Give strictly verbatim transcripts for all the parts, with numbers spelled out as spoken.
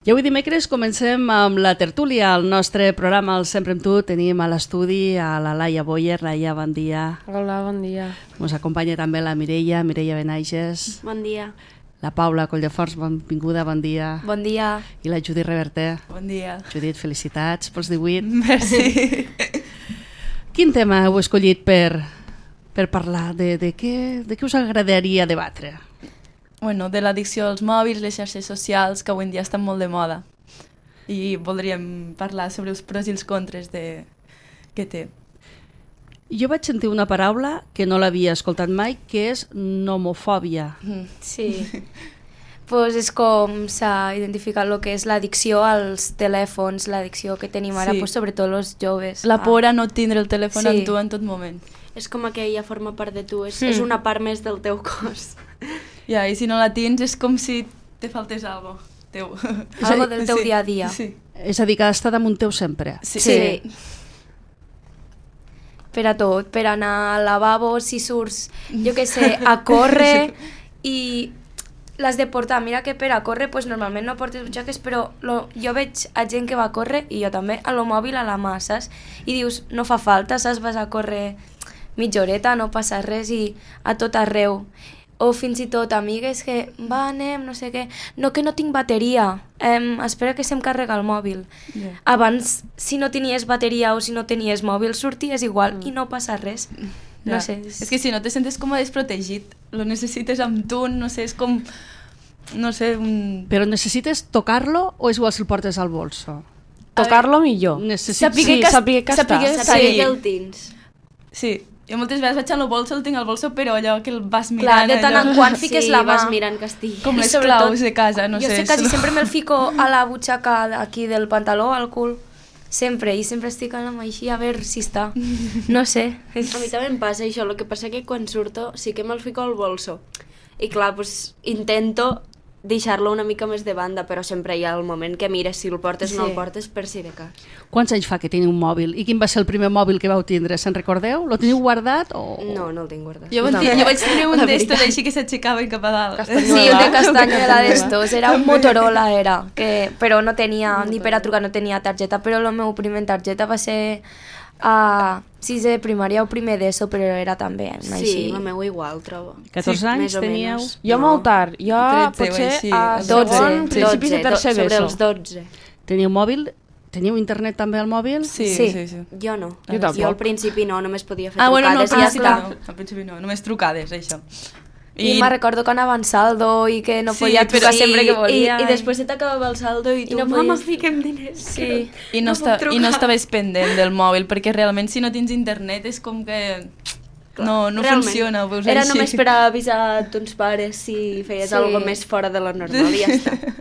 I avui dimecres comencem amb la tertúlia. El nostre programa, el Sempre amb tu, tenim a l'estudi a la Laia Boyer. Laia, bon dia. Hola, bon dia. Ens acompanya també la Mireia, Mireia Benaiges. Bon dia. La Paula Colldefors, benvinguda, bon dia. Bon dia. I la Judit Reverter. Bon dia. Judit, felicitats pels divuit. Merci. Quin tema heu escollit per, per parlar? De, de, què, de què us agradaria debatre? Bueno, de l'addicció als mòbils, les xarxes socials, que avui en dia estan molt de moda. I voldríem parlar sobre els pros i els contres de... que té. Jo vaig sentir una paraula que no l'havia escoltat mai, que és nomofòbia. Mm. Sí. Pues és com s'ha identificat el que és l'addicció als telèfons, l'addicció que tenim ara, Sí. pues, sobretot els joves. La por a no tindre el telèfon Sí. amb tu en tot moment. És com que ja forma part de tu, és, Mm. és una part més del teu cos. Ja, i si no la tens és com si te faltés algo teu. Algo del teu Sí, dia a dia. Sí. És a dir, que ha d'estar damunt teu sempre. Sí. Sí. Per a tot, per anar al lavabo, si surts, jo què sé, a córrer i l'has de portar. Mira que per a córrer pues, normalment no portes butxaques, però lo, jo veig a gent que va a córrer i jo també, a lo mòbil a la mà, saps? I dius, no fa falta, saps? Vas a córrer mitja horeta, no passa res i a tot arreu. O fins i tot amigues que, va, anem, no sé què, no, que no tinc bateria, em, espera que se'm carrega el mòbil. Yeah. Abans, si no tenies bateria o si no tenies mòbil, sorties igual mm. i no passa res. No Ja. sé. És que si no te sentes com desprotegit, lo necessites amb tu, no sé, és com... No sé, un... Però necessites tocar-lo o és igual si el portes al bolso? Tocar-lo millor. Necessites... Sapiguer Sí, que, sapiguer que sapiguer està. que Saber sí. que el tens. Sí, jo moltes vegades vaig al bolso, el tinc al bolso, però allò que el vas Clar, mirant... de tant en allò, quant fiques sí, la mà. vas mirant que estigui. com I les sobretot, claus de casa, no jo sé. sé, quasi solo- sempre me'l fico a la butxaca aquí del pantaló, al cul. Sempre, i sempre estic amb la mà així a veure si està. No sé. A mi també em passa això, el que passa que quan surto sí que me'l fico al bolso. I clar, pues, intento deixar-lo una mica més de banda, però sempre hi ha el moment que mires si el portes o no Sí. el portes per si de cas. Quants anys fa que teniu un mòbil? I quin va ser el primer mòbil que vau tindre? Se'n recordeu? Lo teniu guardat? O... No, no el tinc guardat. Jo, No. no. jo vaig tenir un La d'estos veritat. així que s'aixecava i cap a dalt. Sí, un de castanyela d'estos, era un Motorola, era, que, però no tenia, ni per a trucar no tenia targeta, però la meva primera targeta va ser a sisè de primària o primer d'ESO, però era també Sí, així. la meva igual, trobo. catorze Sí, anys més o teníeu? menys. Jo No. molt tard, jo tretze o potser així, a dotze, segon, principis de dotze, tercer sobre d'ESO. els dotze. Teniu mòbil? Teniu internet també al mòbil? Sí, Sí. sí, sí. Jo no. Jo tampoc. Jo al principi no, només podia fer Ah, bueno, no, al trucades i ja principi està. no. Al principi no, només trucades, això. I, I me'n recordo que anava en saldo i que no Sí, podia trucar però- sempre que I, volia. i després se t'acabava el saldo i I tu, no mama, podies- fiquem diners. Sí. I no, no està, puc I no trucar. estaves pendent del mòbil, perquè realment si no tens internet és com que no, no Realment. funciona, ho veus Era així. només per avisar a tons pares si feies Sí. alguna més fora de lo normal i ja està.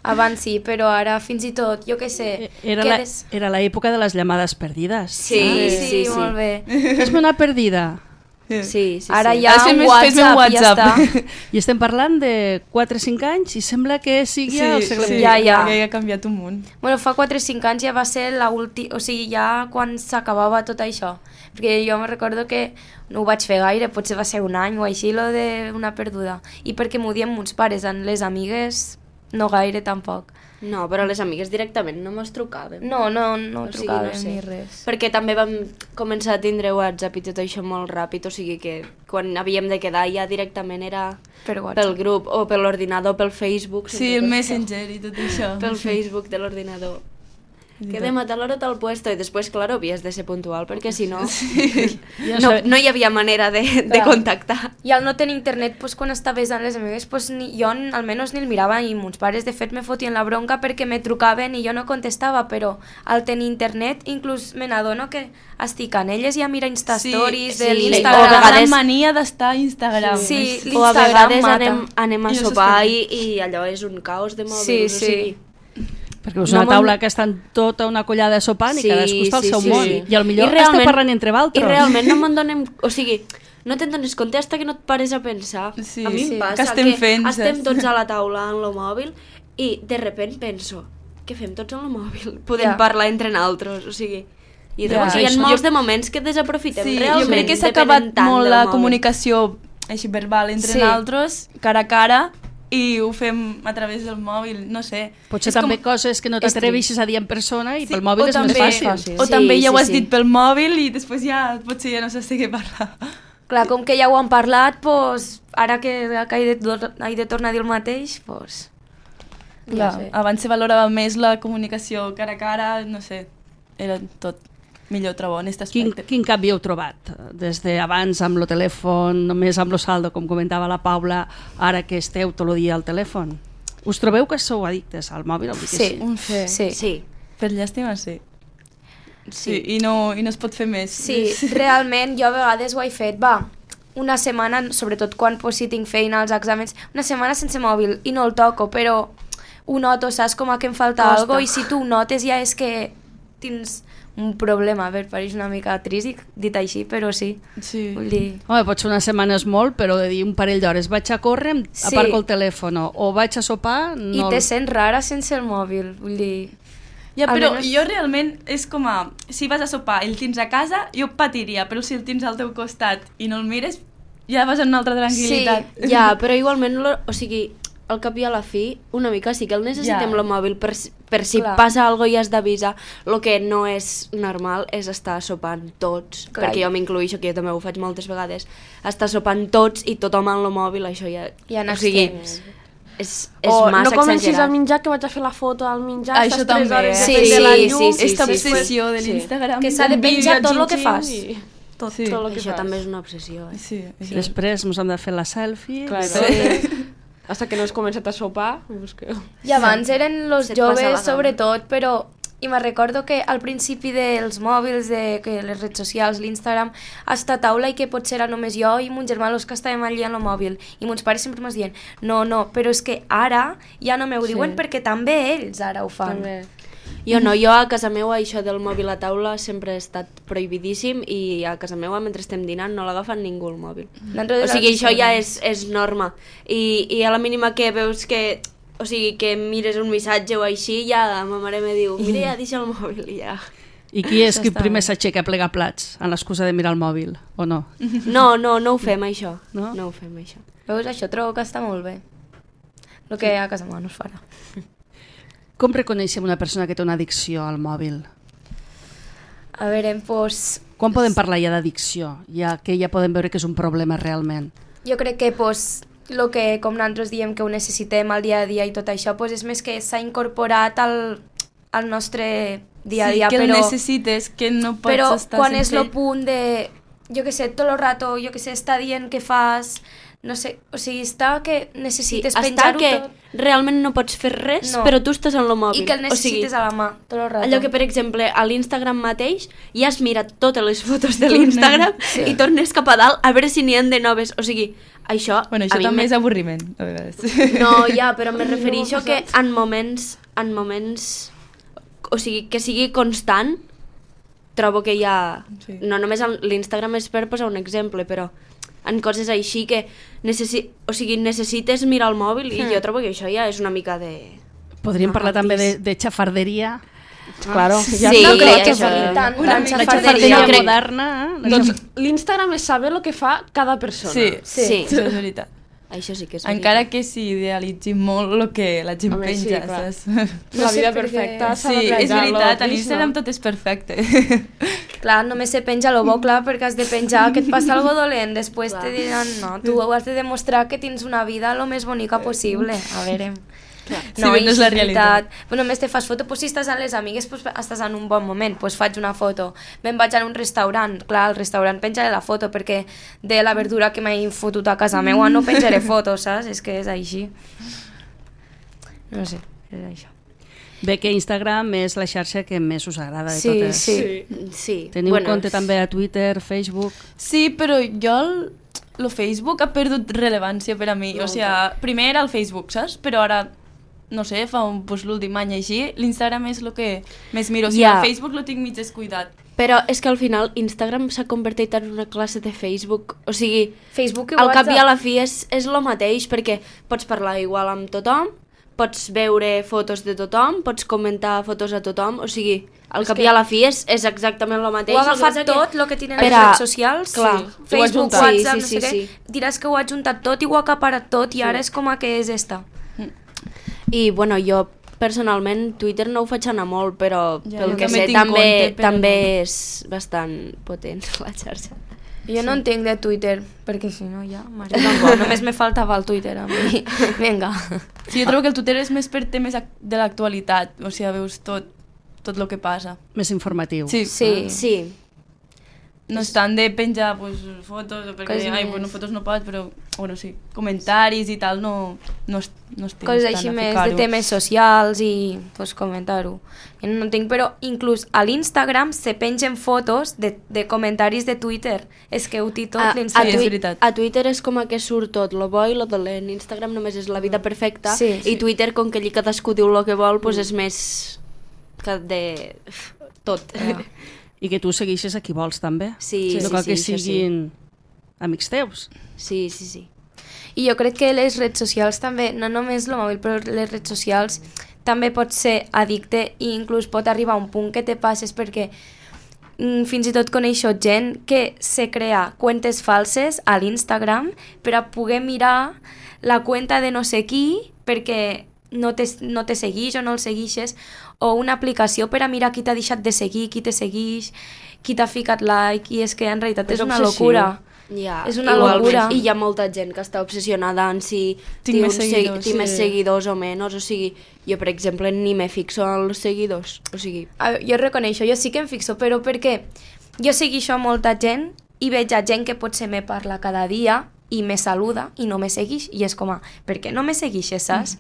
Abans sí, però ara fins i tot, jo què sé, Era la, quedes... era l'època de les llamades perdides. Sí, sí, sí, sí. molt bé. Fes-me una perdida. Sí, sí, sí. Ara sí. ja Ara fem un més- WhatsApp, fes-me un i ja WhatsApp. està. I estem parlant de quatre o cinc anys i sembla que sigui Sí, el segle sí, Ja, ja. ja ha canviat un munt. Bueno, fa quatre o cinc anys ja va ser la última, o sigui, ja quan s'acabava tot això. Perquè jo me recordo que no ho vaig fer gaire, potser va ser un any o així, lo de una perduda. I perquè m'ho diem mons pares, amb les amigues no gaire tampoc. No, però les amigues directament no mos trucaven. No, no, no O sigui, trucàvem no sé. ni res. Perquè també vam començar a tindre WhatsApp i tot això molt ràpid, o sigui que quan havíem de quedar ja directament era Per WhatsApp. pel grup o per l'ordinador, pel Facebook. Sí, el sempre Messenger i tot això. Pel Facebook de l'ordinador. Quedem a tal hora a tal puesto i després, clar, havies de ser puntual perquè si no, no, no hi havia manera de, de Clar. contactar. I al no tenir internet, pues, quan estaves amb les amigues, pues, ni, jo n- almenys ni el mirava i mons pares de fet me fotien la bronca perquè me trucaven i jo no contestava, però al tenir internet inclús me n'adono que estic en elles i a mirar Instastories Sí, de sí, O l'Instagram. o a vegades- la mania d'estar a Instagram. Sí, O a l'Instagram vegades mata. anem, anem a I no sopar s'espera. i, i allò és un caos de mòbils. Sí, o sí. sigui, Perquè és No una me'n- taula que estan tota una collada sopant Sí, i cadascú està al sí, seu sí, món. sí. I al millor I realment- esteu parlant entre I vosaltres. realment no me'n donem... O sigui, no te'n dones compte fins que no et pares a pensar. Sí, a mi sí. em passa Que estem fent, estem saps? tots a la taula en el mòbil i de repent penso, què fem tots en el mòbil? Podem Ja. parlar entre nosaltres, o sigui... I Ja. llavors hi ha Això- molts jo- de moments que desaprofitem Sí, realment. jo crec que s'ha depenent acabat tant molt del la mòbil. comunicació així verbal entre Sí. nosaltres, cara a cara, i ho fem a través del mòbil, no sé. Potser És també com... coses que no t'atreveixes a dir en persona i Sí, pel mòbil o és també, més fàcil. O Sí, també ja sí, ho has sí. dit pel mòbil i després ja potser ja no saps de què parlar. Clar, com que ja ho han parlat, pues, ara que, que he, de, he de tornar a dir el mateix, pues, Clar, ja sé. abans se valorava més la comunicació cara a cara, no sé, era tot millor, trobo, en aquest Quin, aspecte. quin canvi heu trobat? Des d'abans amb el telèfon, només amb el saldo, com comentava la Paula, ara que esteu tot el dia al telèfon? Us trobeu que sou addictes al mòbil? Vull dir que Sí, Un fe. sí. Sí. Per llàstima, sí. Sí. Sí, i no, i no es pot fer més. Sí, realment jo a vegades ho he fet, va, una setmana, sobretot quan pues, si tinc feina als exàmens, una setmana sense mòbil i no el toco, però ho noto, saps com a que em falta Costa. alguna cosa i si tu ho notes ja és que tens un problema. A veure, pareix una mica trist dit així, però sí. Sí. Vull dir... Home, pot ser una setmana és molt, però de dir un parell d'hores vaig a córrer, em Sí. aparco el telèfon o vaig a sopar... I No... te sents rara sense el mòbil, vull dir... Ja, però Almenys- jo realment és com a... Si vas a sopar i el tens a casa, jo patiria, però si el tens al teu costat i no el mires, ja vas en una altra tranquil·litat. Sí, ja, però igualment, lo, o sigui, al cap i a la fi, una mica sí que el necessitem Ja. el mòbil per, si- per si Clar. passa alguna cosa i has d'avisar. El que no és normal és estar sopant tots, Clar. perquè jo m'incluïxo, que jo també ho faig moltes vegades, estar sopant tots i tothom amb el mòbil, això ja... Ja o sigui, n'estem. és, és O no massa comencis exagerat. a menjar, que vaig a fer la foto al menjar, Ah, estàs això tres també, hores eh? Sí, depèn de sí, la sí, llum. sí, Esta sí, obsessió de sí. l'Instagram. Que s'ha de un vídeo, penjar tot el que xin, fas. xin, i- Tot, Sí. tot el que Això fas. també és una obsessió. Eh? Sí, sí. Després ens hem de fer la selfie. Claro. Sí. Hasta que no has començat a sopar, pues que... I abans eren los Se't passa la joves, gana. sobretot, però... I me recordo que al principi dels mòbils, de que les redes socials, l'Instagram, hasta taula i que potser era només jo i mon germà los que estàvem allà en el mòbil. I mons pares sempre m'es diuen, no, no, però és que ara ja no m'ho Sí. diuen perquè també ells ara ho fan. També. Jo no, jo a casa meva això del mòbil a taula sempre ha estat prohibidíssim i a casa meva mentre estem dinant no l'agafa ningú el mòbil. Nosaltres O sigui, els això ja segons. és, és norma. I, I a la mínima que veus que... O sigui, que mires un missatge o així, ja ma mare me diu, mira, ja deixa el mòbil i ja... I qui és Això qui està primer bé. s'aixeca a plegar plats amb l'excusa de mirar el mòbil, o no? No, no, no ho fem, això. No? No ho fem, això. Veus, això trobo que està molt bé. El que a casa meva no es farà. Com reconeixem una persona que té una addicció al mòbil? A veure, doncs... Quan podem parlar ja d'addicció? Ja que ja podem veure que és un problema realment. Jo crec que pues, lo que com nosaltres diem que ho necessitem al dia a dia i tot això pues, és més que s'ha incorporat al, al nostre dia a dia, sí, que però, el necessites, que no pots però estar quan és sense el punt de, jo que sé, tot el rato, jo que sé, està dient que fas, no sé, o sigui, està que Sí, necessites està penjar-ho que tot realment no pots fer res, No. però tu estàs en el mòbil. i que el necessites o sigui, a la mà tot el rato. allò que, per exemple, a l'Instagram mateix ja has mirat totes les fotos de l'Instagram Sí. i tornes cap a dalt a veure si n'hi ha de noves. O sigui, això... Bueno, a això mi també me- és avorriment, a vegades. No, ja, però me refereixo que en moments, en moments, o sigui, que sigui constant, trobo que ja... Sí. No només en l'Instagram és per posar un exemple, però en coses així que necessi... o sigui, necessites mirar el mòbil i jo trobo que això ja és una mica de... Podríem Ah, parlar també de, tis. de xafarderia. Claro. Sí, ja no sí, crec que això- sigui tant, una tant mica La xafarderia. xafarderia Jo crec- moderna. eh? Doncs l'Instagram és saber el que fa cada persona. Sí, Sí. Sí. això és veritat. Això sí que és Encara que s'idealitzi molt el que la gent Home, sí, penja, clar. saps? La No sé vida per què- perfecta s'ha Sí, de és plantejar-lo veritat, a trist, l'Instagram no? tot és perfecte. Clar, només se penja lo bo, clar, perquè has de penjar que et passa algo dolent. Després te diran, no, tu has de demostrar que tens una vida lo més bonica possible. A veure... Sí, però no és la realitat. Però només te fas foto, pues, si estàs amb les amigues, pues, estàs en un bon moment, pues, faig una foto. Me'n vaig a un restaurant, clar, al restaurant penjaré la foto, perquè de la verdura que m'he fotut a casa meua no penjaré fotos, saps? És que és així. No sé, és això. Bé que Instagram és la xarxa que més us agrada de Sí, totes. sí. Sí. Teniu bueno, compte també a Twitter, Facebook... Sí, però jo el, el Facebook ha perdut rellevància per a mi. O sigui, primer era el Facebook, saps? Però ara, no sé, fa un, pues, l'últim any així, l'Instagram és el que més miro. O sigui, Ja. el Facebook lo tinc mig descuidat. Però és que al final Instagram s'ha convertit en una classe de Facebook. O sigui, Facebook i al cap i a WhatsApp. la fi és, és el mateix, perquè pots parlar igual amb tothom, pots veure fotos de tothom, pots comentar fotos a tothom, o sigui, al cap i a la fi és, és exactament el mateix. Ho ha el que agafat passa que- tot, el que tenen Per les a- redes socials, clar, sí. ho ha Facebook, juntat. WhatsApp, Sí, no sí, sé sí, què, sí. diràs que ho ha juntat tot i ho ha acaparat tot i ara és com a que és esta. I, bueno, jo personalment Twitter no ho faig anar molt, però Ja, pel jo que també sé tinc també, compte, però també no. és bastant potent la xarxa. Jo no entenc de Twitter, perquè si no ja... Mare, tampoc, només me faltava el Twitter a mi. Vinga. Sí, jo trobo que el Twitter és més per temes ac- de l'actualitat, o sigui, veus tot, tot el que passa. Més informatiu. Sí, Sí. Sí, no és tant de penjar pues, fotos, o perquè, Coses ai, més. bueno, fotos no pots, però, bueno, sí, comentaris i tal, no, no, es, no estic Coses tant així a més de ficar-ho. temes socials i pues, comentar-ho. Jo no entenc, però inclús a l'Instagram se pengen fotos de, de comentaris de Twitter. És que ho té tot a, a, l'Instagram. és tui- veritat. a Twitter és com a que surt tot, lo bo i lo dolent. Instagram només és la vida perfecta Sí, i sí. Twitter, com que allí cadascú diu el que vol, pues és més que de tot. I que tu segueixes a qui vols, també. Sí, no sí, cal sí, que això sí. siguin amics teus. Sí, sí, sí. I jo crec que les redes socials també, no només el mòbil, però les redes socials també pot ser addicte i inclús pot arribar a un punt que te passes perquè mm, fins i tot coneixo gent que se crea cuentes falses a l'Instagram per a poder mirar la cuenta de no sé qui perquè no te, no te seguix o no el seguixes, o una aplicació per a mirar qui t'ha deixat de seguir, qui te segueix, qui t'ha ficat like, i és que en realitat És és una obsessiu. locura. Ja, És una igualment. locura. I hi ha molta gent que està obsessionada en si Tinc té més un se- seguidors, té més sí. seguidors o menys, o sigui, jo per exemple ni me fixo en els seguidors, o sigui, A veure, jo reconeixo, jo sí que em fixo, però perquè jo segueixo a molta gent i veig a gent que potser me parla cada dia i me saluda i no me seguix, i és com a, per què no me seguixes, saps?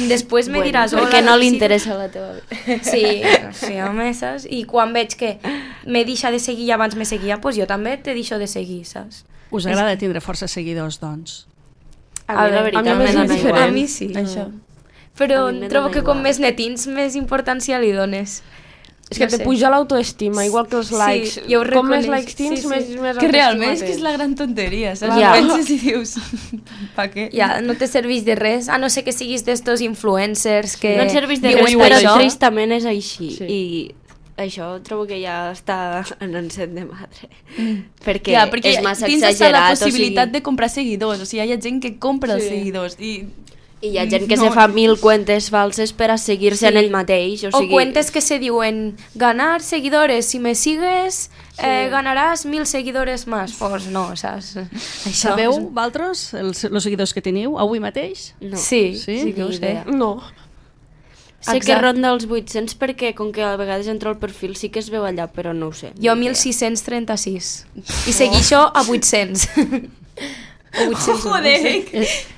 I després me bueno, diràs... perquè "Hola, no li sí". interessa la teva vida. Sí, sí, home, saps? I quan veig que me deixa de seguir i abans me seguia, doncs jo també te deixo de seguir, saps? Us agrada tindre força seguidors, doncs? A, mi la veure, veritat a mi me és dona diferent. igual. A mi sí. Això. Però A mi me trobo dona que com igual. més netins, més importància li dones. És que No te sé. puja l'autoestima, igual que els Sí, likes. jo ho Com més reconeix. likes tens, Sí, sí. més, més Que realment és autoestima que és la gran tonteria, saps? Ja. Ja. Penses i dius, pa què? Ja, no te serveix de res, a no ser que siguis d'estos influencers que... No et serveix de viuen res, per però això. tristament és així. Sí. I això trobo que ja està en encet de madre. Perquè, Ja, perquè és massa tens hasta la exagerat. possibilitat o sigui, de comprar seguidors, o sigui, hi ha gent que compra els Sí. seguidors i I hi ha gent que no. se fa mil cuentes falses per a seguir-se Sí. en ell mateix. O, O sigui, cuentes que se diuen ganar seguidores, si me sigues eh, ganaràs mil seguidores más. Pues no, saps? Això Sabeu, és- vosaltres, els, els seguidors que teniu, avui mateix? No. Sí, Sí? sí que ho Ni sé. idea. No. Sé que Exacte. ronda els vuit-cents perquè com que a vegades entro al perfil sí que es veu allà, però no ho sé. Jo ni idea. mil sis-cents trenta-sis. I seguixo a vuit-cents. O vuit-cents. Joder,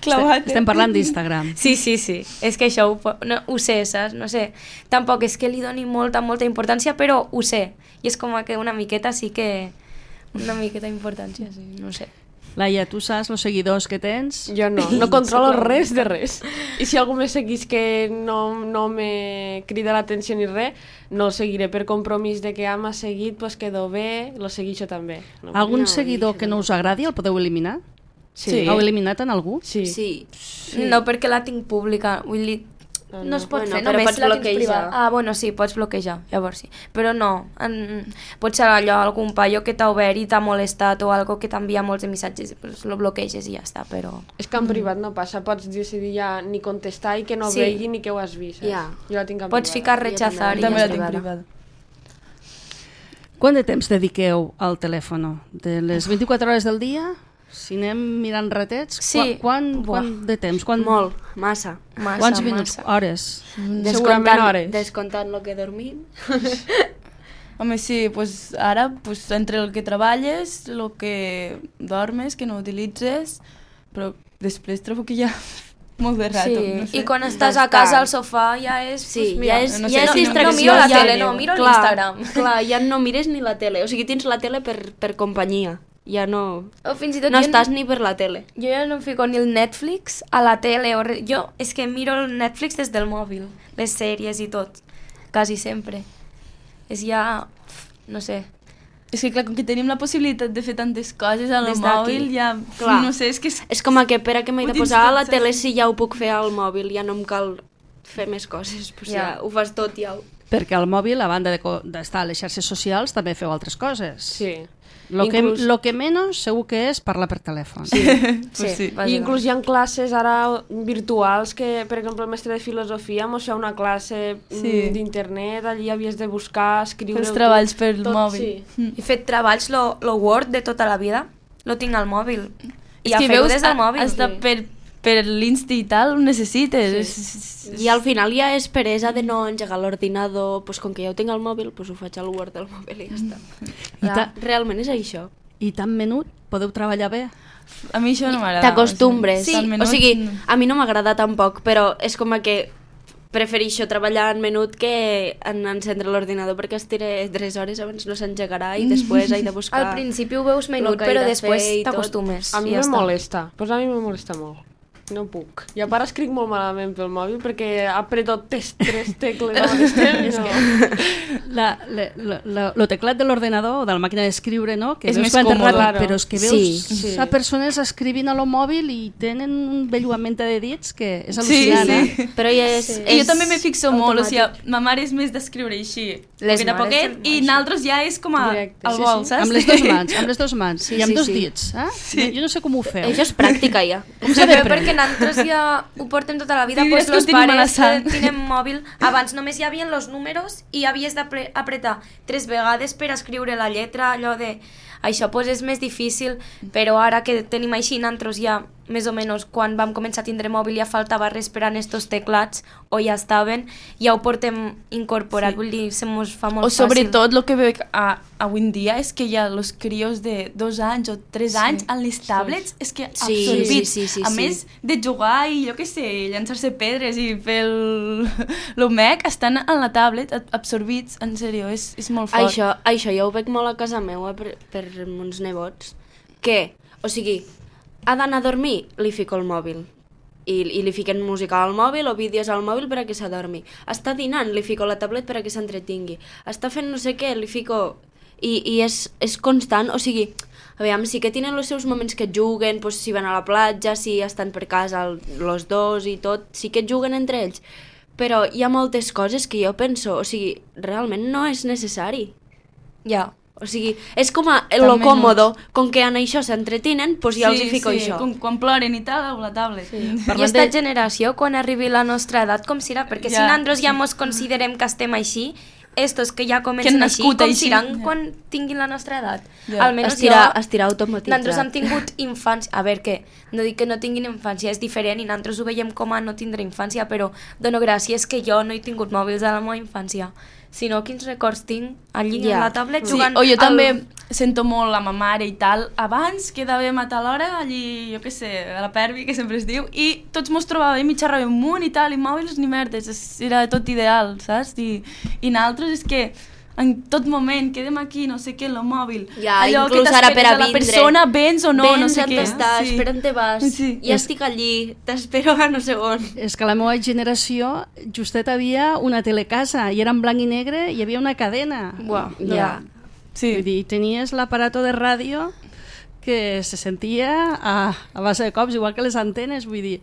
clavat. Estem parlant d'Instagram. Sí, sí, sí. És que això ho, po- no, ho sé, saps? No sé. Tampoc és que li doni molta, molta importància, però ho sé. I és com que una miqueta sí que... Una miqueta d'importància, sí, no sé. Laia, tu saps els seguidors que tens? Jo no, no controlo res de res. I si algú me seguís que no, no me crida l'atenció ni res, no el seguiré per compromís de que ja m'ha seguit, pues quedo bé, lo seguixo també. No. Algun No, seguidor això que no us agradi el podeu eliminar? Sí. Heu eliminat en algú? Sí. Sí. No, perquè la tinc pública. Vull dir, Ah, no es pot Bueno, fer, però només pots la tens bloquejar. privada. Ah, bueno, sí, pots bloquejar, llavors sí. Però no, en, pot ser allò, algun paio que t'ha obert i t'ha molestat o algo que t'envia molts de missatges, pues lo bloqueges i ja està, però... És que en privat no passa, pots decidir ja ni contestar i que no Sí. vegi ni que ho has vist. Saps? Ja. Jo la tinc en Pots privada. ficar Jo rechazar i també També ja la tinc està. privada. Quant de temps dediqueu al telèfon? De les vint-i-quatre hores del dia? Si anem mirant ratets, Sí. quan, Buah. quant de temps? Quan, Molt, massa. Massa, Quants minuts? massa. Hores? Segurament hores. Descomptant el que dormim. Home, sí, pues ara, pues, entre el que treballes, el que dormes, que no utilitzes, però després trobo que hi ha molt de rato. Sí, no sé. i quan estàs Bastant. a casa al sofà ja és... Sí, pues, mira, ja és, no sé, ja és no- no distracció. miro la ja, tele, no, miro clar, l'Instagram. Clar, ja no mires ni la tele. O sigui, tens la tele per, per companyia. Ja no... O fins i tot No jo estàs ni per la tele. Jo ja no em fico ni el Netflix a la tele. O re... Jo és que miro el Netflix des del mòbil, les sèries i tot, quasi sempre. És ja, no sé, És que clar, com que tenim la possibilitat de fer tantes coses al Des d'aquí. mòbil, ja... Clar. No sé, és que... És... És com a que per a què m'he Ho de tens posar a la tot, tele saps? si ja ho puc fer al mòbil, ja no em cal fer més coses, pues ja. Ja. ho fas tot ja. Ho... Perquè al mòbil, a banda de co- d'estar a les xarxes socials, també feu altres coses. Sí. Lo, Inclús- que, lo que menys segur que és parlar per telèfon. Pues sí. I inclús hi ha classes ara virtuals que, per exemple, el mestre de filosofia mos feia una classe Sí. sí. d'internet, allí havies de buscar, escriure... Els treballs per mòbil. Sí. He fet treballs, lo, lo Word de tota la vida, lo tinc al mòbil. I És ja que feu veus, des del mòbil. hasta per, per l'Insta i tal ho necessites. Sí. I al final ja és peresa de no engegar l'ordinador, pues com que ja ho tinc al mòbil, pues ho faig al Word del mòbil i ja està. I, Ja, ta, realment és això. I tan menut podeu treballar bé? A mi això no m'agrada. T'acostumbres. O sigui, O sigui, a mi no m'agrada tampoc, però és com a que prefereixo treballar en menut que en encendre l'ordinador perquè estiré tres hores abans no s'engegarà i després he de buscar... Al principi ho veus menut, lo que he però de després fer i tot. t'acostumes. A mi i ja me està. molesta, pues a mi me molesta molt. No puc. I a part escric molt malament pel mòbil perquè apreto tes, tres tecles al mateix temps. No. La, la, la, la, lo teclat de l'ordenador o de la màquina d'escriure, no? Que És veus més que entra còmode, ràpid, claro. però és que veus Sí, sí. a persones escrivint a lo mòbil i tenen un belluament de dits que és Sí, al·lucinant, sí. eh? Però ja és... Sí. I jo també me fixo molt, o sigui, automàtic. ma mare és més d'escriure així, Les poquet a mares poquet, també i així. naltros ja és com a Directe, al sí, vol, sí. saps? Amb les dues mans, amb les dues mans Sí, i amb sí, dos sí. dits, eh? Sí. Jo no sé com ho feu. Això és pràctica ja. Com s'ha Bé, d'aprendre? perquè nosaltres ja ho portem tota la vida, Sí, pues és que los ho tenim a la pares sang. que tenen mòbil, abans només hi havia els números i havies d'apretar tres vegades per escriure la lletra, allò de... Això pues, és més difícil, però ara que tenim així nosaltres ja, més o menys, quan vam començar a tindre mòbil ja faltava res per a estos teclats, o ja estaven, ja ho portem incorporat, Sí. vull dir, se mos fa molt O fàcil. sobretot el que veig a, avui en dia és que hi ha els crios de dos anys o tres anys en les tablets, és que Sí, absorbits. sí, sí, sí, a sí. més de jugar i jo què sé, llançar-se pedres i fer el, el mec, estan en la tablet ab- absorbits, en sèrio, és, és molt fort. Això, això jo ho veig molt a casa meva per, per uns nebots, que, o sigui, ha d'anar a dormir, li fico el mòbil. I, i li fiquen música al mòbil o vídeos al mòbil per a que s'adormi. Està dinant, li fico la tablet per a que s'entretingui. Està fent no sé què, li fico... I, i és, és constant, o sigui, aviam, sí que tenen els seus moments que juguen, doncs, si van a la platja, si estan per casa el- los dos i tot, sí que juguen entre ells. Però hi ha moltes coses que jo penso, o sigui, realment no és necessari. Ja. O sigui, és com a lo També còmodo, com que en això s'entretinen, doncs ja els hi fico sí, això. Com, quan ploren i tal, a la tablet. Sí. I Parlant esta de- generació, quan arribi la nostra edat, com serà? Perquè Ja, si nosaltres ja mos considerem que estem així, estos que ja Que comencen han així, nascut com així, seran ja. quan tinguin la nostra edat? Ja. Almenys Estirar, jo... estirar automatitzat. Nosaltres hem tingut infància... A veure, que no dic que no tinguin infància, és diferent i nosaltres ho veiem com a no tindre infància, però dono gràcies que jo no he tingut mòbils a la meva infància, sinó quins records tinc allí Ja. a la tablet Sí, jugant... o jo al- també sento molt la ma mare i tal. Abans quedàvem a tal hora, allí, jo què sé, a la Pervi, que sempre es diu, i tots mos trobàvem i xerràvem amunt i tal, i mòbils ni merdes, és- era tot ideal, saps? I, i nosaltres és que en tot moment quedem aquí, no sé què, en el mòbil. Ja, Allò inclús que ara per a t'esperes la vindre. persona, vens o no, Vens no sé on què. estàs, Sí. per on te vas, Sí. ja estic allí, t'espero a no sé on. És que la meva generació justet havia una telecasa i era en blanc i negre i hi havia una cadena. Buah, Ja. ja. Sí. Vull dir, tenies l'aparato de ràdio que se sentia a, a base de cops, igual que les antenes, vull dir,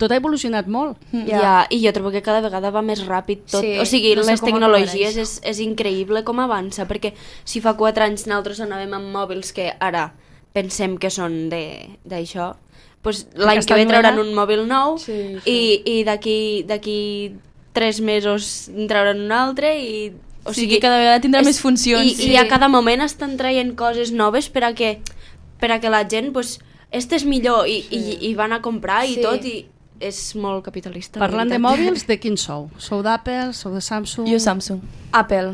tot ha evolucionat molt. Ja. ja, i jo trobo que cada vegada va més ràpid tot. Sí, o sigui, no sé les com ho tecnologies aconsegueix. és, és increïble com avança, perquè si fa quatre anys nosaltres anàvem amb mòbils que ara pensem que són de- d'això, doncs l'any que estan ve trauran novedat. un mòbil nou Sí, sí. i, i d'aquí d'aquí tres mesos en trauran un altre i... O sigui, que cada vegada tindrà més funcions. I, Sí. I a cada moment estan traient coses noves per a que, per a que la gent, doncs, este és millor i, sí. i, i van a comprar i Sí. tot i és molt capitalista. la Parlant de veritat. mòbils, de quin sou? Sou d'Apple, sou de Samsung? Jo Samsung. Apple.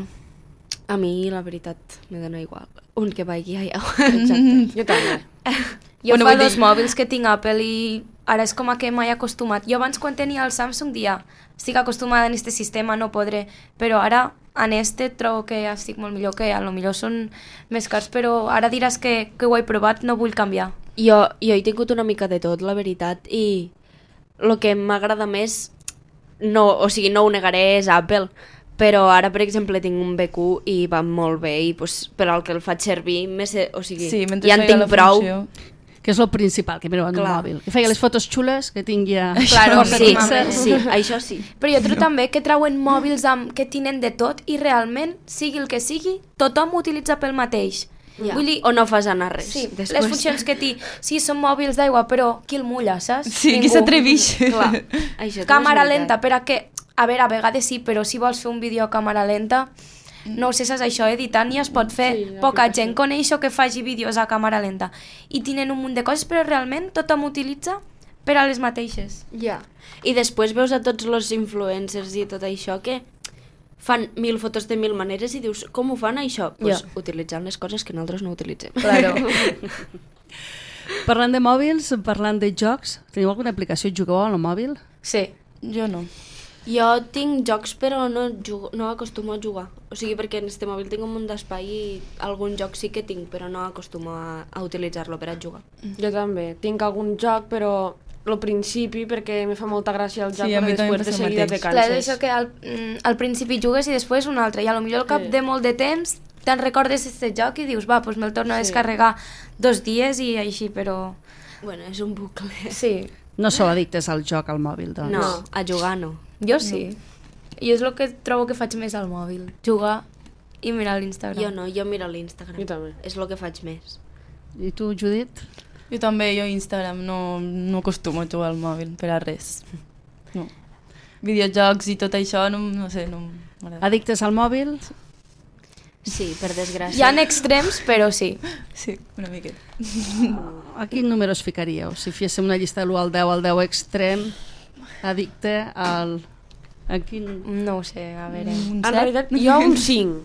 A mi, la veritat, me dona igual. Un que vagi allà. Exacte. Jo també. Jo Bueno, fa vull dos dir- mòbils que tinc Apple i ara és com a que m'he acostumat. Jo abans quan tenia el Samsung dia estic acostumada a aquest sistema, no podré, però ara en este trobo que ja estic molt millor, que a lo millor són més cars, però ara diràs que, que ho he provat, no vull canviar. Jo, jo he tingut una mica de tot, la veritat, i el que m'agrada més, no, o sigui, no ho negaré, és Apple, Però ara, per exemple, tinc un B Q i va molt bé i pues, per al que el faig servir, més, o sigui, Sí, mentre ja en feia tinc la prou. funció. Que és el principal, que mireu en un Clar. mòbil. Que feia les fotos xules, que tingui ja... Claro, força Sí, fixes. sí, això sí. Però jo trobo també que trauen mòbils amb, que tenen de tot i realment, sigui el que sigui, tothom ho utilitza pel mateix. Ja. Vull dir, O no fas anar res. sí, després. les funcions que té, sí, són mòbils d'aigua, però qui el mulla, saps? Sí, qui Ningú. s'atreveix. Clar, això també Càmera és veritat. lenta, per a què? A veure, a vegades sí, però si vols fer un vídeo a càmera lenta, no ho sé, saps això, editant ja es pot fer. Sí, Sí, Poca aplicació. gent coneix que faci vídeos a càmera lenta. I tenen un munt de coses, però realment tothom utilitza per a les mateixes. Ja. I després veus a tots els influencers i tot això que fan mil fotos de mil maneres i dius, com ho fan això? Pues, Ja. utilitzant les coses que nosaltres no utilitzem. Claro. Parlant de mòbils, parlant de jocs, teniu alguna aplicació? Jugueu al mòbil? Sí. Jo no. Jo tinc jocs però no, jugo, no acostumo a jugar. O sigui, perquè en este mòbil tinc un munt d'espai i algun joc sí que tinc, però no acostumo a, a utilitzar-lo per a jugar. Jo també. Tinc algun joc, però al principi, perquè me fa molta gràcia el joc, Sí, a però mi també després em de passa el seguida te mateix. Clar, és canses. això que al, mm, al principi jugues i després un altre, i a lo millor al cap Sí. de molt de temps te'n recordes aquest joc i dius, va, doncs me'l torno a Sí. descarregar dos dies i així, però... Bueno, és un bucle. Sí, No sou addictes al joc al mòbil, doncs. No, a jugar no. jo sí. I és el que trobo que faig més al mòbil, jugar i mirar l'Instagram. Jo no, jo miro l'Instagram. Jo també. És el que faig més. I tu, Judit? Jo també, jo Instagram no, no acostumo a jugar al mòbil per a res. No. Videojocs i tot això, no, no sé, no m'agrada. Addictes al mòbil? Sí, per desgràcia. Hi ha extrems, però sí. Sí, una miqueta. A quin número es ficaríeu? Si féssim una llista de l'u al deu, al deu extrem, addicte al... A quin... No ho sé, a veure... Un En set? realitat, jo un cinc.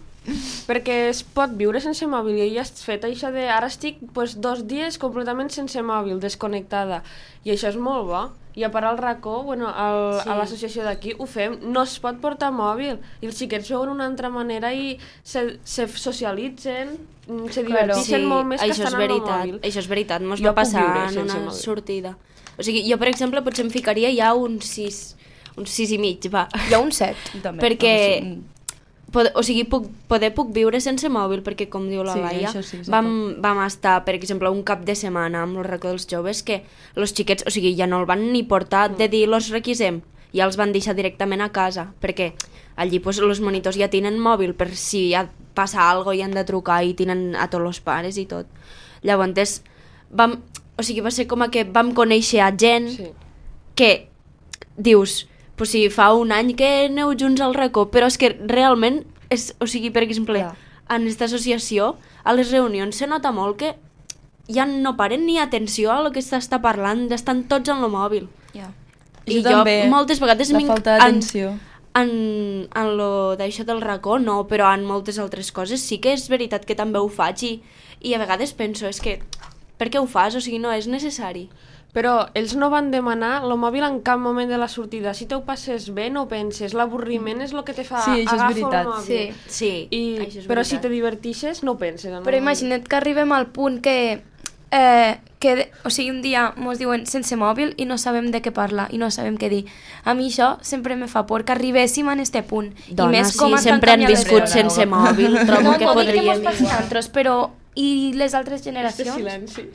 Perquè es pot viure sense mòbil i ja has fet això de... Ara estic pues, dos dies completament sense mòbil, desconnectada. I això és molt bo. I a part al racó, bueno, al, Sí. a l'associació d'aquí, ho fem. No es pot portar mòbil. I els xiquets veuen una altra manera i se, se socialitzen, mm, se Claro. diverteixen Sí, molt més que això és estan amb el veritat. mòbil. Això és veritat, mos Jo va puc passar viure en sense una mòbil. sortida. O sigui, jo, per exemple, potser em ficaria ja un sis, un sis i mig, va. Hi ha un set. També, Perquè- home, sí. Pod o sigui, puc, poder puc viure sense mòbil, perquè, com diu la Sí, Laia, això sí, sí vam, vam estar, per exemple, un cap de setmana amb el racó dels joves que els xiquets, o sigui, ja no el van ni portar de dir, los requisem, ja els van deixar directament a casa, perquè allí pues, els monitors ja tenen mòbil per si ja passa alguna cosa i han de trucar i tenen a tots els pares i tot. Llavors, vam, o sigui, va ser com a que vam conèixer a gent Sí. que dius, pues si fa un any que aneu junts al racó, però és que realment, és, o sigui, per exemple, Clar. en aquesta associació, a les reunions se nota molt que ja no paren ni atenció a lo que s'està parlant, estan tots en el mòbil. Ja. I Jo jo també, moltes vegades la m'inc- falta en- d'atenció. En, en lo d'això del racó no, però en moltes altres coses sí que és veritat que també ho faig i, i a vegades penso, és que per què ho fas? O sigui, no és necessari. Però ells no van demanar el mòbil en cap moment de la sortida. Si te ho passes bé, no penses. L'avorriment és el que te fa Sí, això és agafar veritat. el mòbil. Sí. Sí, I, això és però si veritat. te divertixes, no penses en el Però mòbil. imagina't que arribem al punt que, eh, que o sigui, un dia ens diuen sense mòbil i no sabem de què parlar i no sabem què dir. A mi això sempre me fa por que arribéssim a este punt. Dona, I més sí, com estan sempre han canviant les viscut coses. sense mòbil, trobo no, que no dic que podríem mos passi a igual. nosaltres, però i les altres Este generacions? silenci.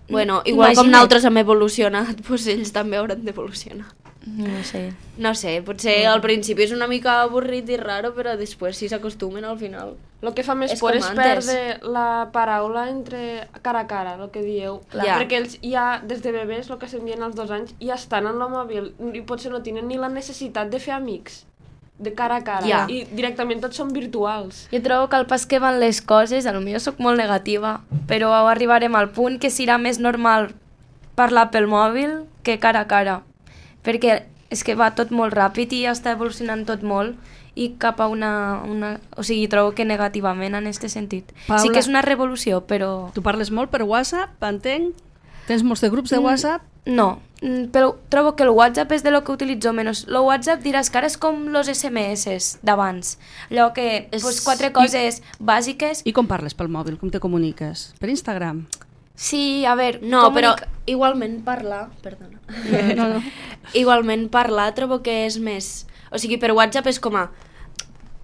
Bueno, igual com Imagina't. nosaltres hem evolucionat, doncs ells també hauran d'evolucionar. No sé. No sé, potser al principi és una mica avorrit i raro, però després si s'acostumen al final. El que fa més És por com és antes. perdre la paraula entre cara a cara, el que dieu. Clar. Ja. Perquè ells ja, des de bebès, el que s'envien als dos anys, ja estan en el mòbil i potser no tenen ni la necessitat de fer amics de cara a cara. Ja. I directament tots són virtuals. Jo trobo que al pas que van les coses, a lo millor sóc molt negativa, però arribarem al punt que serà més normal parlar pel mòbil que cara a cara. Perquè és que va tot molt ràpid i ja està evolucionant tot molt i cap a una... una o sigui, trobo que negativament en aquest sentit. Paula. Sí que és una revolució, però... Tu parles molt per WhatsApp, entenc? Tens molts de grups de WhatsApp? No, mm, però trobo que el WhatsApp és de lo que utilitzo menys. El WhatsApp diràs que ara és com los S M S d'abans. Allò que, És- pues, quatre coses bàsiques. I com parles pel mòbil? Com te comuniques? Per Instagram? Sí, a veure... No, però comunica- igualment parlar... Perdona. No, no. Igualment parlar trobo que és més... O sigui, per WhatsApp és com a...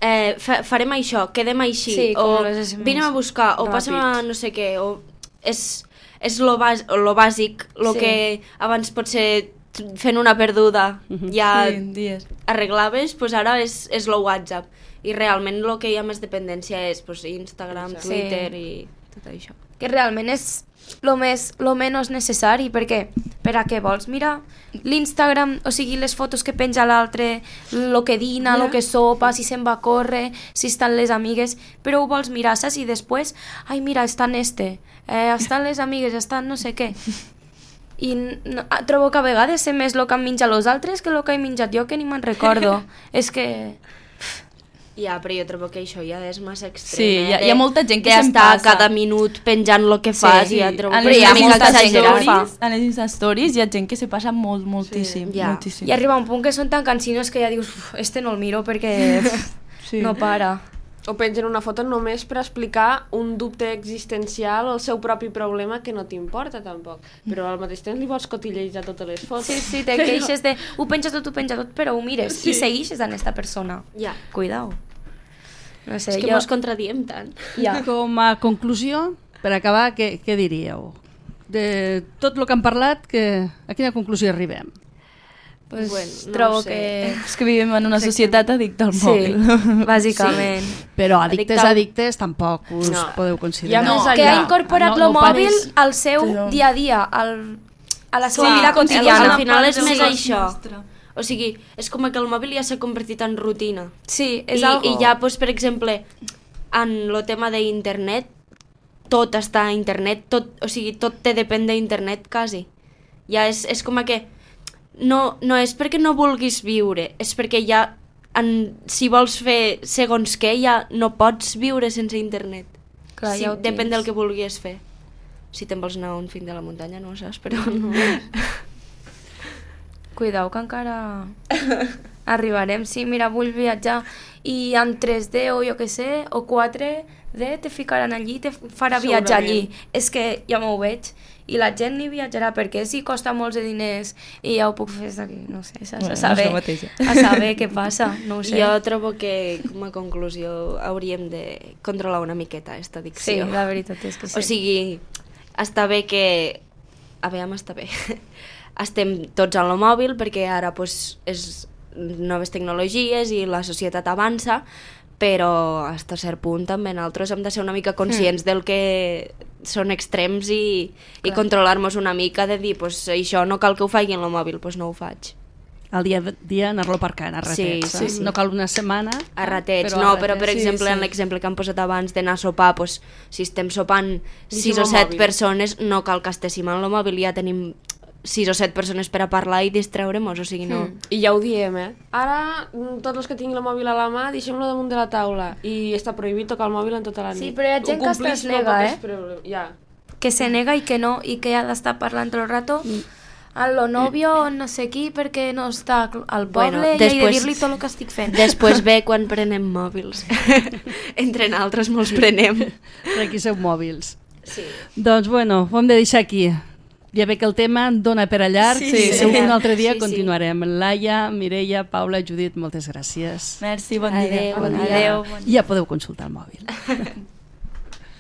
eh, fa farem això, quedem així, Sí, o com les S M S. vinem a buscar, o Ràpid. passem a no sé què, o és, és lo, bas, lo bàsic, lo Sí. que abans potser fent una perduda ja Sí, dies. arreglaves, pues ara és, és lo WhatsApp. I realment el que hi ha més dependència és pues, Instagram, Sí. Twitter i tot això. Que realment és lo més, lo menys necessari, perquè per a què vols? Mira, l'Instagram, o sigui, les fotos que penja l'altre, lo que dina, lo que sopa, si se'n va a córrer, si estan les amigues, però ho vols mirar, saps? I després, ai, mira, estan este, eh, estan les amigues, estan no sé què. I no, trobo que a vegades sé més el que han menjat els altres que el que he menjat jo, que ni me'n recordo. És que... Ja, però jo trobo que això ja és massa extrem. Sí, eh, hi ha- de- hi ha molta gent que de se'n estar passa. cada minut penjant el que fas Sí, i ja trobo En que les és una mica molta gent que ho exagerat. fa. Stories, en les Insta Stories hi ha gent que se passa molt, moltíssim. Sí, ja. moltíssim. I arriba un punt que són tan cansinos que ja dius, "Uf, este no el miro perquè Sí. no para. O pengen una foto només per explicar un dubte existencial o el seu propi problema que no t'importa tampoc. Però al mateix temps li vols cotillejar totes les fotos. Sí, sí, te queixes de ho penja tot, ho penja tot, però ho mires sí. i segueixes en esta persona. Ja. Cuidao. No sé, És que jo... mos contradiem tant. Ja. Com a conclusió, per acabar, què, què diríeu? De tot el que han parlat, que, a quina conclusió arribem? Pues, Bueno, no trobo ho sé. que... És que vivim en una societat addicta al Sí, mòbil. bàsicament. Però addictes, Addicte al- addictes, tampoc us No. podeu Hi ha considerar. més Que allà. ha incorporat No, el no mòbil pares. al seu Però- dia a dia, al, a la seva Sí, vida al quotidiana. final és part més de això. nostra. O sigui, és com que el mòbil ja s'ha convertit en rutina. Sí, és I, algo... I ja, doncs, per exemple, en el tema d'internet, tot està a internet, tot, o sigui, tot te depèn d'internet, quasi. Ja és, és com que no, no és perquè no vulguis viure, és perquè ja, en, si vols fer segons què, ja no pots viure sense internet. Clar, sí, ja ho depèn tens. del que vulguis fer. Si te'n vols anar a un fin de la muntanya, no ho saps, però no. Cuidao que encara arribarem. Sí, mira, vull viatjar i en tres D o jo que sé, o quatre D te ficaran allí, te farà viatjar allí. És que ja m'ho veig. I la gent ni viatjarà perquè si costa molts de diners i ja ho puc fer des d'aquí, no sé, saps? Bueno, A saber, això mateix, ja. a saber què passa, no ho sé. Jo trobo que, com a conclusió, hauríem de controlar una miqueta aquesta Sí, addicció. la veritat és que sí. O sigui, està bé que... A veure, està bé. Estem tots en el mòbil perquè ara pues, és noves tecnologies i la societat avança, però fins a cert punt també nosaltres hem de ser una mica conscients mm. del que són extrems i, i controlar-nos una mica de dir, pues, això no cal que ho faci en el mòbil, pues no ho faig. Al dia a dia anar-lo aparcant a ratets. Sí, sí, eh? sí. No cal una setmana. A ratets, però a no, però per ratets, exemple sí, en sí. l'exemple que han posat abans d'anar a sopar, pues, si estem sopant sis al o set mòbil. persones, no cal que estéssim en el mòbil, ja tenim sis o set persones per a parlar i distraure-nos, o sigui, no... Mm. I ja ho diem, eh? Ara, mm, tots els que tinguin el mòbil a la mà, deixem-lo damunt de la taula. I està prohibit tocar el mòbil en tota la nit. Sí, però hi ha gent Ho que es complix, no nega, pot eh? espreure- Ja. Que se nega i que no, i que ha d'estar parlant tot el rato a lo novio, no sé qui, perquè no està al poble Bueno, i he de després- dir-li tot el que estic fent. Després ve quan prenem mòbils. Entre nosaltres molts prenem. Per aquí sou mòbils. Sí. Doncs bueno, ho hem de deixar aquí. Ja ve que el tema dona per a llarg. Sí, Sí, sí. segur que un altre dia Sí, sí. continuarem. Laia, Mireia, Paula, Judit, moltes gràcies. Merci, bon Adéu, dia. bon dia. Adéu. Ja podeu consultar el mòbil.